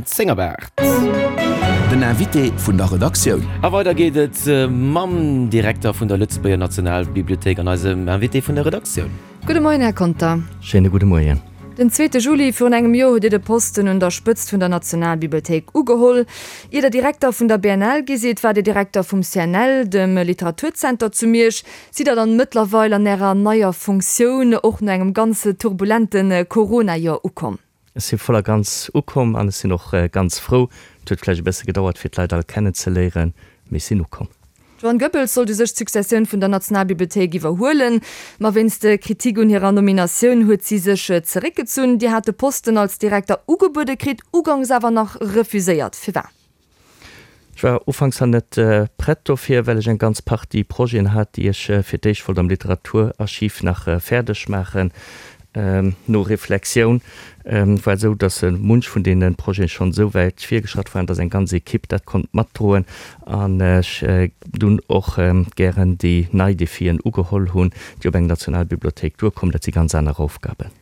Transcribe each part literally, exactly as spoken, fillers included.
Zéng op aacht. Den Invité vun der Redaktioun. A weider geet et mam Direkter vun der Lëtzebuerger Nationalbibliothéik an eisem Invité vun der Redaktioun. Gudde Moien, Här Conter. Schéine gudde Moien. Den zweete Juli virun engem Joer hutt Dir de Posten un der Spëtzt vun der Nationalbibliothéik ugeholl. Ier Der Direkter vun der B N L gi sidd, waart Dir Direkter vum C N L, dem Literaturzenter zu Miersch. Sidd Der dann mëttlerweil an Ärer neier Funktioun och no engem ganz turbulente Corona-Joer ukomm? Ech si voll a ganz ukomm an ech sinn och ganz frou. Et huet vläicht e bësse gedauert, fir d'Leit all kennenzeléieren, mee ech sinn ukomm. D'Joanne Goebbels sollt u sech d'Successioun vun der Nationalbibliothéik iwwerhuelen, ma wéinst Kritik un hirer Nominatioun huet si sech zeréckgezunn. Dir hat de Posten als Direkter ugebuede kritt, uganks awer nach refuséiert. Firwat? Ech war ufanks nach net prett dofir, well ech eng ganz Partie Projeten hat, déi ech fir d'éischt wollt am Literaturarchiv nach fäerdeg maachen. No Reflexioun war et esou, datt munch vun deene Projete schonn esou wäit virgeschratt waren, datt eng ganz Equipe dat konnt matdroen an ech dunn och gären déi nei Defien ugeholl hunn, déi op eng Nationalbibliothéik duerkommen. Dat si ganz aner Aufgaben.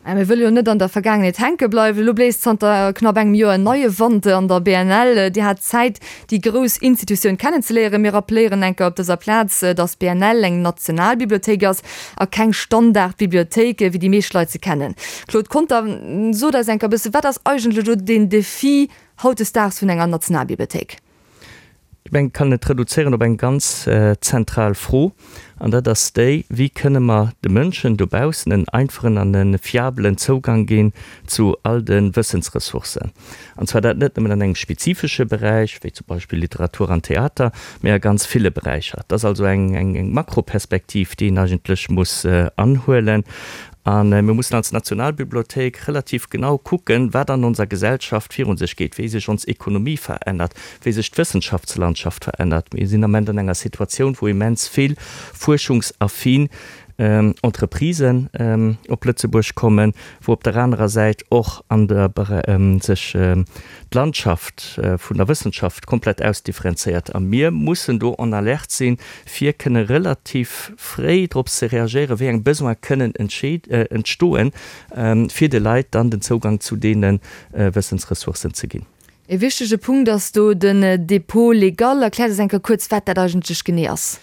Mä mir wëlle jo net an der Vergaangenheet hänke bleiwen. Elo bléist zanter knapp engem Joer en neie Wand an der B N L. Dir hat Zäit, déi grouss Institutioun kennenzeléieren. Mir rappeléieren eng Kéier op dëser Plaz, datt d'B N L eng Nationalbibliothéik ass a keng Standardbibliothéik, wéi déi meescht Leit se kennen. Claude Conter, sot eis eng Kéier e bësse, wat ass eigentlech elo den Defi hautdesdaags vun enger Nationalbibliothéik? Ech mengen, et kann et reduzéieren op eng ganz zentral Fro, an dat ass déi, Wéi kënne mer de Mënschen dobaussen en einfachen an e fiabelen Zougang ginn zu all de Wëssensressourcen? An zwar dat net nëmmen an engem spezifesche Beräich, wéi zum Beispill Literatur an Theater, mä a ganz ville Beräicher. Dat ass also eng, eng Makroperspektiv, déi een eigentlech muss anhuelen. A mir mussen als Nationalbibliothéik relativ genau kucken, wat an onser Gesellschaft virun sech geet, wéi sech ons Ekonomie verännert, wéi sech d'Wëssenschaftslandschaft verännert. Mir sinn am Ament an enger Situatioun, wou immens vill fuerschungsaffin Entreprisen op Lëtzebuerg kommen, wou op der anerer Säit och an der sech d'Landschaft vun der Wëssenschaft komplett ausdifferenzéiert. A mir mussen do en alerte sinn, fir kënne relativ fréi drop ze reagéieren, wéi eng Besoin kënnen entstoen, fir de Leit dann den Zougang zu deene Wëssensressourcen ze ginn. E wichtege Punkt ass do den Dépôt légal. Erkläert eis eng Kéier kuerz, wat dat eigentlech genee ass.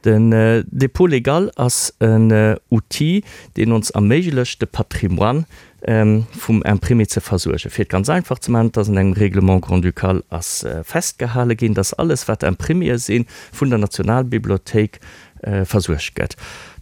Den Dépôt légal ass en Outil, deen ons erméiglecht, de Patrimoine vum Imprimé ze versuergen. Fir et ganz einfach ze maachen, et ass an engem Règlement grand-ducal ass festgehale ginn, dass alles, wat Impriméë sinn, vun der Nationalbibliothéik versuergt gëtt.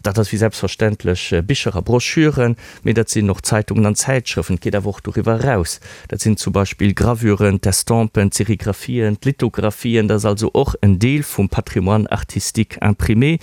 Dat ass wéi selbstverständlech Bicher a Broschüren, mee dat sinn och Zeitungen an Zäitschrëften. Et geet awer och doriwwer eraus. Dat sinn zum Beispill Gravüren, d'Estampen, d'Serigraphien, d'Lithographien. Dat ass also och en Deel vum Patrimoine artistique imprimé.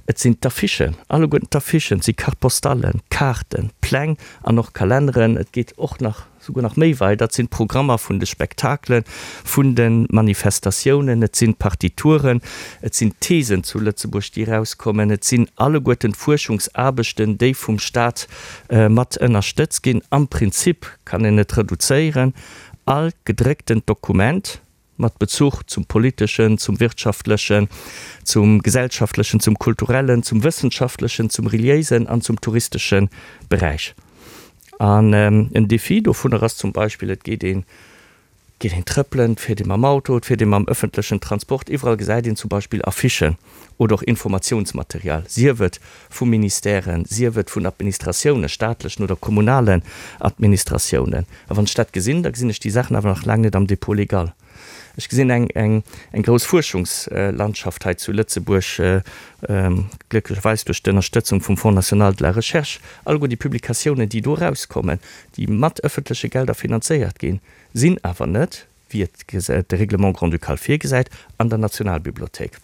Et sinn d'Affichen, alleguerten d'Affichen, et si Carte-postallen, Kaarten, Pläng an och Kalenneren. Et geet och nach souguer nach méi weit, dat sinn d'Programmer vun de Spektakelen, vun de Manifestatiounen, et sinn d'Partituren, et sinn d'Thesen zu Lëtzebuerg, déi erauskommen, et sinn alleguerten d'Fuerschungsaarbechten, déi vum Staat mat ënnerstëtzt ginn. Am Prinzip kann een et reduzéieren, all gedrécktent Dokument mat Bezuch zum politeschen, zum wirtschaftlechen, zum gesellschaftlechen, zum kulturellen, zum wëssenschaftlechen, zum reliéisen an zum touristesche Beräich. An en Défi dovunner ass zum Beispill, et geet een, geet een trëppelen, et fiert ee mam Auto, et fiert ee mam ëffentlechen Transport, iwwerall gesäit een zum Beispill Affichen oder och Informatiounsmaterial, sief et vu Ministèren, sief et vun Administratiounen, staatlechen oder kommunalen Administratiounen. A wann ech dat gesinn, da gesinn ech déi Saachen awer nach laang net am Dépôt légal. Ech gesinn eng, eng, eng grouss Fuerschungslandschaft hei zu Lëtzebuerg, glécklecherweis duerch d'Ënnerstëtzung vum Fonds national de la recherche. Alleguer déi Publikatiounen, déi do erauskommen, déi mat ëffentleche Gelder finanzéiert ginn, sinn awer net, wéi et de Règlement grand-ducal virgesäit, an der Nationalbibliothéik.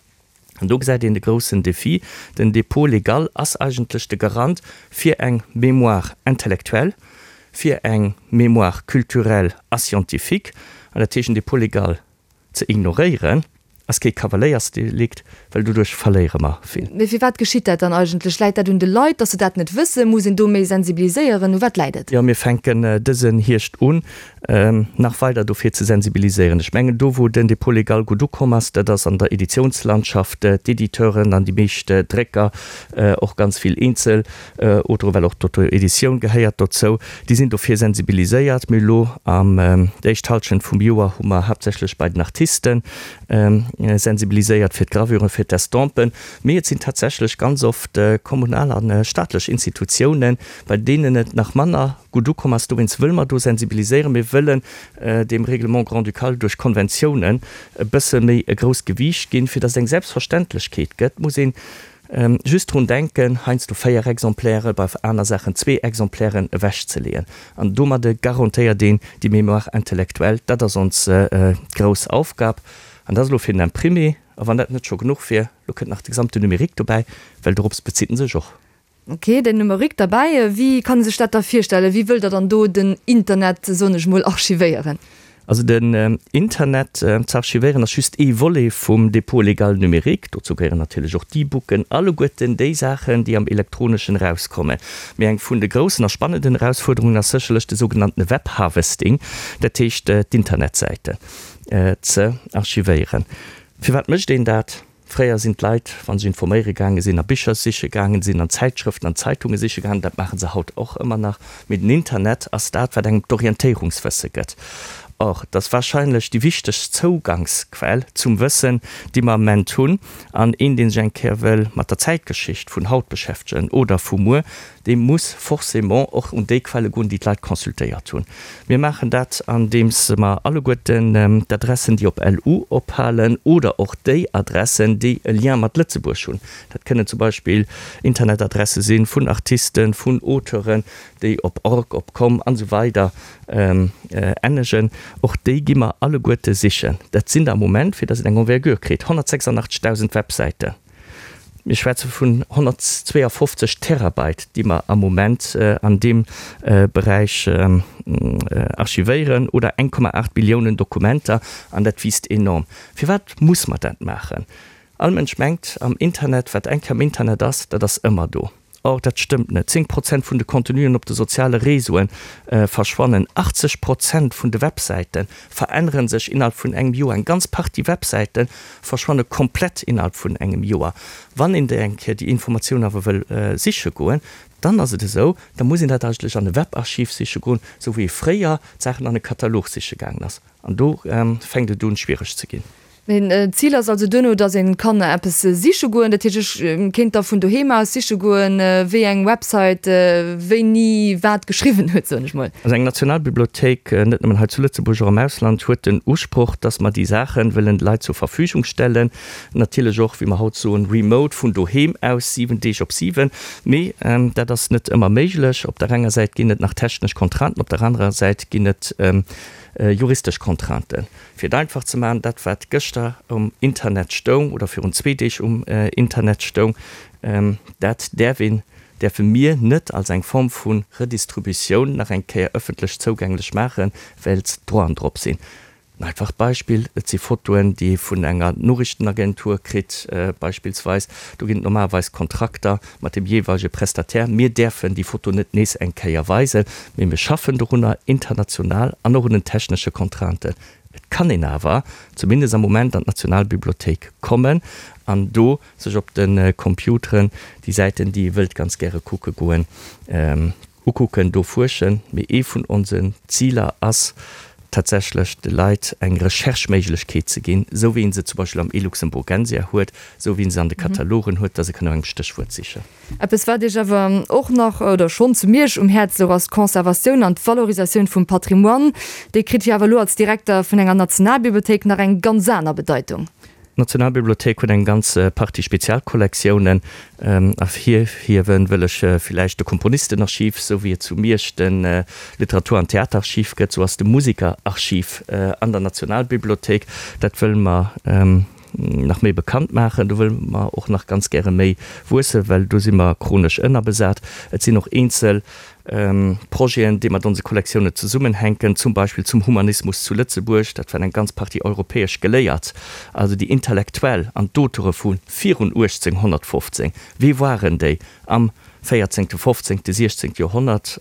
An do gesäit een de groussen Défi. Den Dépôt légal ass eigentlech de Garant fir eng Mémoire intellectuelle, fir eng Mémoire culturelle a scientifique. An dat heescht, en Dépôt légal ze ignoréieren, Ass kee Kavaléiersdelikt, well doduerch verléiere mer vill. Mee firwat geschitt dat dann eigentlech? Läit dat un de Leit, datt se dat net wëssen? Muss een do méi sensibiliséieren? U wat läit et? Jo, mir fänken dësen Hierscht un, nach weider dofir ze sensibiliséieren. Ech mengen, do wou den Dépôt légal gutt ukomm ass, dat ass an der Editiounslandschaft, d'Editeuren an déi meescht Drécker, och ganz vill eenzel Auteuren, well och d'Auto-Editioun gehéiert dozou, déi sinn dofir sensibiliséiert. Mir elo am déi éischt Hallschent vum Joer hu mer haaptsächlech bei den Artisten sensibiliséiert fir d'Gravuren, fir d'Estampen. Mee et sinn tatsächlech ganz oft kommunal a staatlech Institutiounen, bei deenen et nach manner gutt ukomm ass. Dowéinst wëlle mer do sensibiliséieren. Mir wëllen deem Règlement grand-ducal duerch Konventiounen e bësse méi e grousst Gewiicht ginn, fir datt et eng Selbstverständlechkeet gëtt. Muss een just drun denken, heiansdo véier Exemplaire, bei aner Saachen zwee Exemplairen ewechzeleeën. An domadde garantéiert een déi Mémoire intellectuelle. Dat ass ons grouss Aufgab. An dat ass elo fir den Imprimé. A wann dat net scho genuch wier, elo kënnt nach de gesamte Numérique dobäi, well dorops bezitt en sech och. Ok, den Numérique derbäi. Wéi kann ee sech dat da virstellen? Wéi wëllt Der dann do den Internet, soen ech mol, archivéieren? Also den Internet ze archivéieren ass just ee Volet vum Dépôt légal numérique. Dozou gehéieren natierlech och d'E-Booken, alleguerten déi Saachen, déi am Elektroneschen erauskommen. Mee eng vun de groussen a spannenden Erausfuerderungen ass sécherlech de sougenannte Web-Harvesting, dat heescht d'Internetsäiten ze archivéieren. Firwat mécht een dat? Fréier sinn d'Leit, wa se informéiere gaange sinn, a Bicher siche gaangen sinn, an Zäitschrëften, an Zeitunge siche gaangen. Dat maache se haut och ëmmer nach. Mee den Internet ass dat, wat engem d'Orientéierungswësse gëtt. Or, et ass warscheinlech déi wichtegst Zougangsquell zum Wëssen, déi mer am Ament hunn. An een, dee sech eng Kéier wëll mat der Zäitgeschicht vun haut beschäftegen oder vu muer, dee muss forcément och un déi Quelle goen, déi d'Leit consultéiert hunn. Mir maachen dat, andeems mer alleguerten d'Adressen, déi op LU ophalen, oder och déi Adressen, déi e Lien mat Lëtzebuerg hunn, dat kënnen zum Beispill Internetadresse si vun Artisten, vun Auteuren, déi op org, op com an esou weider ennegen, och déi gi mer alleguerte sichen. Dat sinn der am Moment, fir datt et eng Envergure kritt, honnertsechsundachtzegdausend Websäiten. Mir schwätze vun honnertzweeafofzeg Terabyte, déi mer am Moment an deem Beräich archivéieren, oder eng Komma aacht Billiounen Dokumenter, an dat wiisst enorm. Firwat muss mer dat maachen? All Mënsch mengt am Internet, wat eng Kéier am Internet ass, dat ass ëmmer do. Or, dat stëmmt net. Zéng Prozent vun de Contenuen op de soziale Réseaue verschwannen. Achtzeg Prozent vun de Websäite verännere sech innerhalb vun engem Joer. Eng ganz Partie Websäite verschwanne komplett innerhalb vun engem Joer. Wann een déi eng Kéier déi Informatioun awer wëll siche goen, dann ass et esou, da muss een dat eigentlech an e Webarchiv siche goen, esou wéi ee fréier d'Saachen an e Katalog siche gaangen ass. An do fänkt et un, schwiereg ze ginn. Mee d'Zil ass also duerno, datt ee kann eppes siche goen. Dat heescht, ech kéint da vun doheem aus siche goen, wéi eng Website wéini wat geschriwwen huet, soen ech mol. Also eng Nationalbibliothéik, net nëmmen hei zu Lëtzebuerg, och am Ausland, huet den Usproch, datt mer déi Saache wëllen de Leit zur Verfügung stellen. Natierlech och, wéi mer haut soen, remote, vun doheem aus, siwen Deeg op siwen. Mee dat ass net ëmmer méiglech. Op der enger Säit ginn et nach technesch Contrainten, op der anerer Säit ginn et juristesch Contrainten. Fir et einfach ze maachen, dat wat gëschter um Internet stoung oder virun zwee Deeg um Internet stoung, dat däerf een, däerfe mir net als eng Form vu Redistributioun nach eng Kéier ëffentlech zougänglech maachen, well d'Droiten drop sinn. En einfacht Beispill, Et si Fotoen, déi ee vun enger Noriichtenagentur kritt beispillsweis. Do ginn et normalerweis Kontrakter mat dem jeeweilege Prestataire. Mir däerfen déi Foto net nees eng Kéier weisen, mee mir schaffen dorunner, international an och un den technesche Contrainten. Et kann een awer, zumindest am Moment, an d'Nationalbibliothéik kommen an do sech op de Computeren déi Säiten, déi ee wëllt ganz gäre kucke goen, ukucken, do fuerschen. Mee ee vun onsen Ziler ass tatsächlech, de Leit eng Recherche-Méiglechkeet ze ginn, esou wéi ee se zum Beispill am eLuxemburgensia huet, esou wéi ee se an de Katalogen huet, dass e kann no engem Stéchwuert sichen. Eppes, wat Iech awer och nach oder schonn zu Miersch um Häerz louch, ass d'Conservatioun an d'Valorisatioun vum Patrimoine. Déi kritt jo awer elo als Direkter vun enger Nationalbibliothéik nach eng ganz aner Bedeitung. D'Nationalbibliothéik huet eng ganz Partie Spezialkollektiounen. Ervirhiewe wëll ech villäicht de Komponistenarchiv, sou wéi et zu Miersch de Literatur an Theaterarchiv gëtt, sou ass de Musikerarchiv an der Nationalbibliothéik. Dat wëlle mer nach méi bekannt maachen. Do wëlle mer och nach ganz gäre méi wuessen, well do si mer chronesch ënnerbesat. Et sinn och eenzel Projeten, déi mat onse Kollektioune zesummenhänken, zum Beispill zum Humanismus zu Lëtzebuerg, dat waren eng ganz Partie europäesch Geléiert, also déi Intellektuell an d'Auteure vu virun uechtzénghonnertfofzéng, wie waren déi am véierzéngte, fofzéngte, siechzéngte Joerhonnert?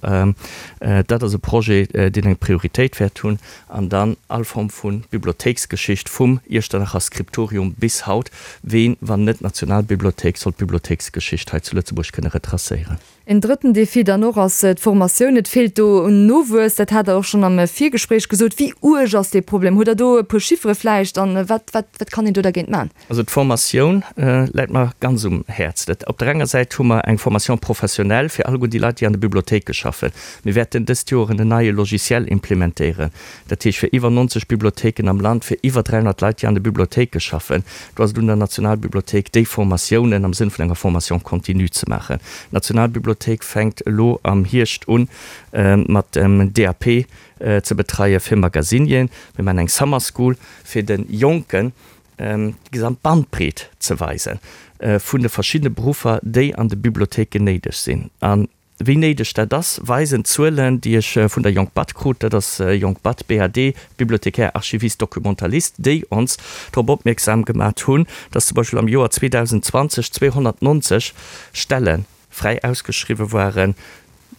Dat ass e Projet, deen eng Prioritéit wäert hunn. An dann all Form vu Bibliothéiksgeschicht, vum Iechternacher Skriptorium bis haut. Ween, wann net d'Nationalbibliothéik, soll d'Bibliothéiksgeschicht hei zu Lëtzebuerg kënne retracéieren? En drëtten Defi dann och ass d'Formatioun. Et feelt do un Nowuess, dat hat Der och schonn am Virgespréich gesot. Wéi uerg ass dee Problem? Hutt Der do e puer Chiffere vläicht? An wat, wat, wat kann een do dergéint maachen? Also d'Formatioun läit mer ganz um Häerz. Dat, op der enger Säit hu mer eng Formation professionnelle fir alleguer déi Leit, déi an de Bibliothéike schaffen. Mir wäerten dëst Joer en neie Logiciel implementéieren, dat heescht fir iwwer neunzeg Bibliothéiken am Land, fir iwwer dräihonnert Leit, déi an de Bibliothéike schaffen. Do ass et un der Nationalbibliothéik, déi Formatiounen am Sënn vun enger Formation continue ze maachen. D'Nationalbibliothéik fänkt elo am Hierscht un, mat dem D A P ze betreie fir Magasinien. Mir maachen eng Summer School, fir de Jonken déi gesamt Bandbreet ze weise vun de verschiddene Beruffer, déi an de Bibliothéiken néideg sinn. A wéi néideg dat ass, weisen d'Zuelen, déi ech vun der Jonk Bad krut, dat ass Jonk Bad, B A D, Bibliothécaire, Archiviste, Documentaliste, déi ons drop opmierksam gemat hunn, dass zum Beispill am Joer zweedausendzwanzeg zweehonnertneunzeg Stelle fräi ausgeschriwwe waren,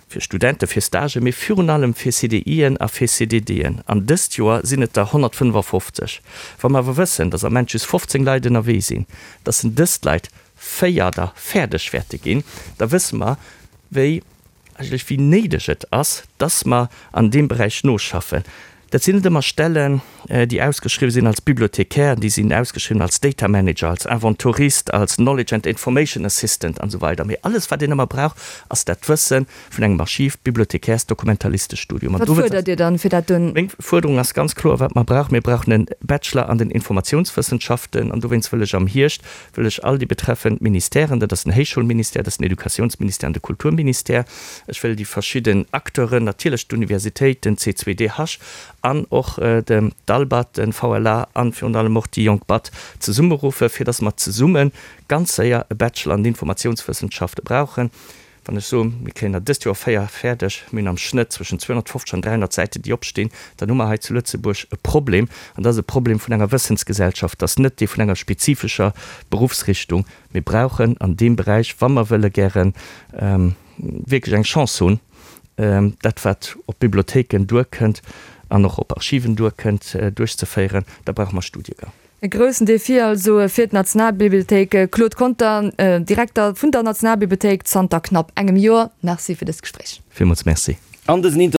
fir Studenten, fir Stagen, mee virun allem fir C D Ien a fir C D Dën. An dëst Joer sinn et der honnertfënnefafofzeg. Wa mer awer wëssen, dass am Ament just fofzéng Leit ënnerwee sinn, dass en dëst Leit véier der fäerdeg wäerte ginn, da wësse mer, wéi eigentlech wéi néideg et ass, dass mer an deem Beräich noschaffen. Dat sinn net ëmmer Stellen, déi ausgeschriwwen sinn als Bibliothécaire, déi sinn ausgeschriwwen als Data Manager, als Inventorist, als Knowledge and Information Assistant an esou weider. Mee alles, wat een ëmmer brauch, ass dat Wësse vun engem Archiv-, Bibliothekärs-, Dokumentalistestudium. Wat fuerdert Dir dann, fir dat dunn? Meng Fuerderung ass ganz kloer, wat mer brauchen, Mir brauchen e Bachelor an den Informatiounswëssenschaften. An dowéinst wëll ech am Hierscht, wëll ech all déi betreffend Ministèren, dat ass den Héichschoulministère, dat ass den Educatiounsministère an de Kulturministère, ech wëll déi verschidden Acteuren, natierlech d'Universitéiten, C zwei D H an och de d'ALBAD, den V L A an virun allem och déi Jonk Bad zesummeruffe fir datt mer zesumme ganz séier e Bachelor an Informatiounswëssenschafte brauchen. Wann ech soen, mir kréien der dëst Joer véier fäerdeg, mir hunn am Schnëtt zwëschen zweehonnertfofzeg an dräihonnert Säiten, déi opstinn, dann hu mer hei zu Lëtzebuerg e Problem. An dat ass e Problem vun enger Wëssensgesellschaft, dat ass net dee vun enger spezifescher Beruffsrichtung. Mir brauchen an deem Beräich, wa mer wëlle gären wierklech eng Chance hunn, dat wat op Bibliothéiken duerkënnt an och op Archiven duerkënnt, duerchzeféieren, da brauche mer Studiegäng. E groussen Defi also fir d'Nationalbibliothéik. Claude Conter, Direkter vun der Nationalbibliothéik zanter knapp engem Joer, Merci fir dëst Gespréich. Villmools Merci. An dësen Interview.